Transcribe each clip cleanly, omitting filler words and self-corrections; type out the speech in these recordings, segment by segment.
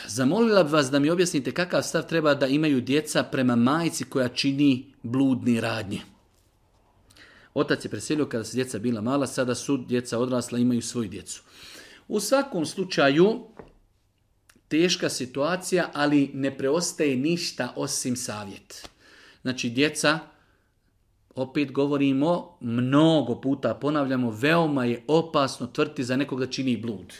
Zamolila bih vas da mi objasnite kakav stav treba da imaju djeca prema majci koja čini bludni radnje. Otac je preselio kada su djeca bila mala, sada su djeca odrasla, imaju svoju djecu. U svakom slučaju, teška situacija, ali ne preostaje ništa osim savjet. Znači, djeca, opet govorimo, mnogo puta ponavljamo, veoma je opasno tvrditi za nekog da čini blud.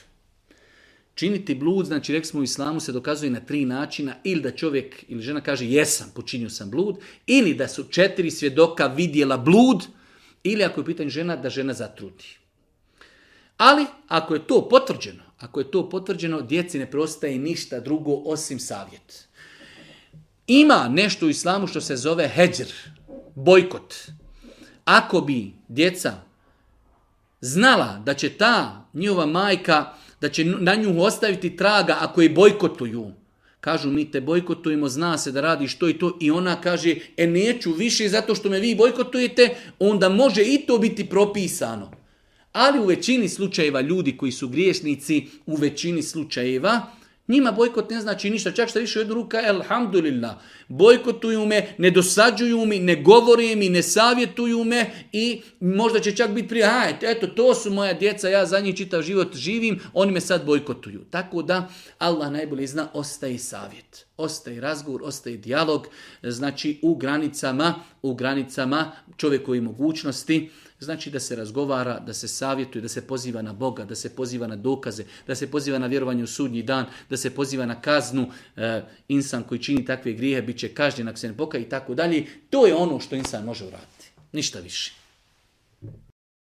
Činiti blud, znači rekli smo u islamu, se dokazuje na 3 načina, ili da čovjek ili žena kaže jesam, počinio sam blud, ili da su 4 svjedoka vidjela blud, ili ako je u pitanju žena, da žena zatrudi. Ali, ako je to potvrđeno, djeci ne preostaje ništa drugo osim savjet. Ima nešto u islamu što se zove hedžr, bojkot. Ako bi djeca znala da će ta njihova majka, da će na nju ostaviti traga ako je bojkotuju, kažu mi te bojkotujemo, zna se da radiš to i to, i ona kaže neću više zato što me vi bojkotujete, onda može i to biti propisano. Ali u većini slučajeva ljudi koji su griješnici, u većini slučajeva, njima bojkot ne znači ništa, čak što više u jednu ruka, elhamdulillah, bojkotuju me, ne dosađuju mi, ne govore mi, ne savjetuju me i možda će čak biti prije, eto, to su moja djeca, ja za njih čitav život živim, oni me sad bojkotuju. Tako da, Allah najbolje zna, ostaje savjet, ostaje razgovor, ostaje dijalog, znači u granicama čovjekove mogućnosti, znači da se razgovara, da se savjetuje, da se poziva na Boga, da se poziva na dokaze, da se poziva na vjerovanje u sudnji dan, da se poziva na kaznu. Insan koji čini takve grijehe bit će kažnjen ako se ne pokaje i tako dalje. To je ono što insan može uraditi. Ništa više.